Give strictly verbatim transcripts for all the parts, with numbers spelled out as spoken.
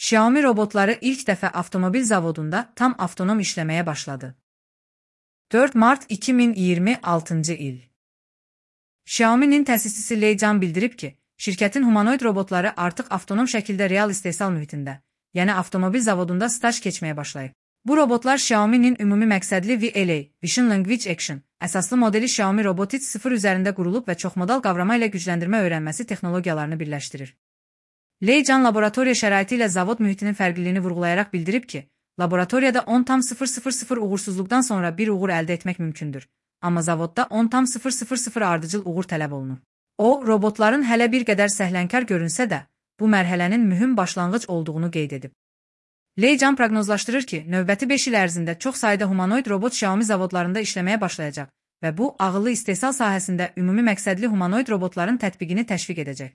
Xiaomi robotları ilk dəfə avtomobil zavodunda tam avtonom işləməyə başladı. dörd mart iki min iyirmi altıncı il. Xiaomi'nin təsisçisi Lei Can bildirib ki, şirkətin humanoid robotları artıq avtonom şəkildə real istehsal mühitində, yəni avtomobil zavodunda staj keçməyə başlayıb. Bu robotlar Xiaomi'nin ümumi məqsədli V L A Vision Language Action əsaslı modeli Xiaomi Robotics sıfır üzərində qurulub və çoxmodal qavrama ilə gücləndirmə öyrənməsi texnologiyalarını birləşdirir. Lei Can laboratoriya şəraiti ilə zavod mühitinin fərqliliyini vurğulayaraq bildirib ki, laboratoriyada on tam sıfır sıfır sıfır uğursuzluqdan sonra bir uğur əldə etmək mümkündür, amma zavodda on tam sıfır sıfır sıfır ardıcıl uğur tələb olunur. O, robotların hələ bir qədər səhlənkar görünsə də, bu mərhələnin mühüm başlanğıc olduğunu qeyd edib. Lei Can proqnozlaşdırır ki, növbəti beş il ərzində çox sayda humanoid robot Xiaomi zavodlarında işləməyə başlayacaq və bu, ağıllı istehsal sahəsində ümumi məqsədli humanoid robotların tətbiqini təşviq edəcək.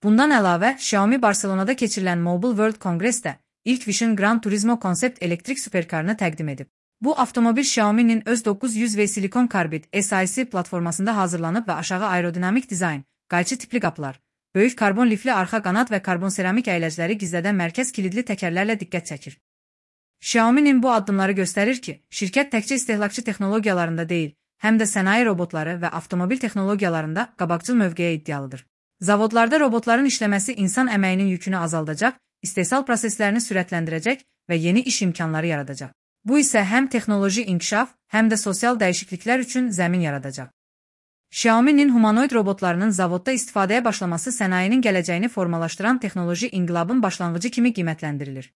Bundan əlavə, Xiaomi Barcelonada keçirilən Mobile World Congress-də ilk Vision Gran Turismo konsept elektrik superkarını təqdim edib. Bu avtomobil Xiaomi'nin öz doqquz yüz V silikon karbid S I C platformasında hazırlanıb və aşağı aerodinamik dizayn, qayçı tipli qapılar, böyük karbon lifli arxa qanad və karbon seramik əyləcləri gizlədən mərkəz kilidli təkərlərlə diqqət çəkir. Xiaomi'nin bu addımları göstərir ki, şirkət təkcə istehlakçı texnologiyalarında deyil, həm də sənaye robotları və avtomobil texnologiyalarında qabaqcıl mövqeyə iddialıdır. Zavodlarda robotların işləməsi insan əməyinin yükünü azaldacaq, istehsal proseslərini sürətləndirəcək və yeni iş imkanları yaradacaq. Bu isə həm texnoloji inkişaf, həm də sosial dəyişikliklər üçün zəmin yaradacaq. Xiaomi'nin humanoid robotlarının zavodda istifadəyə başlaması sənayenin gələcəyini formalaşdıran texnoloji inqilabın başlanğıcı kimi qiymətləndirilir.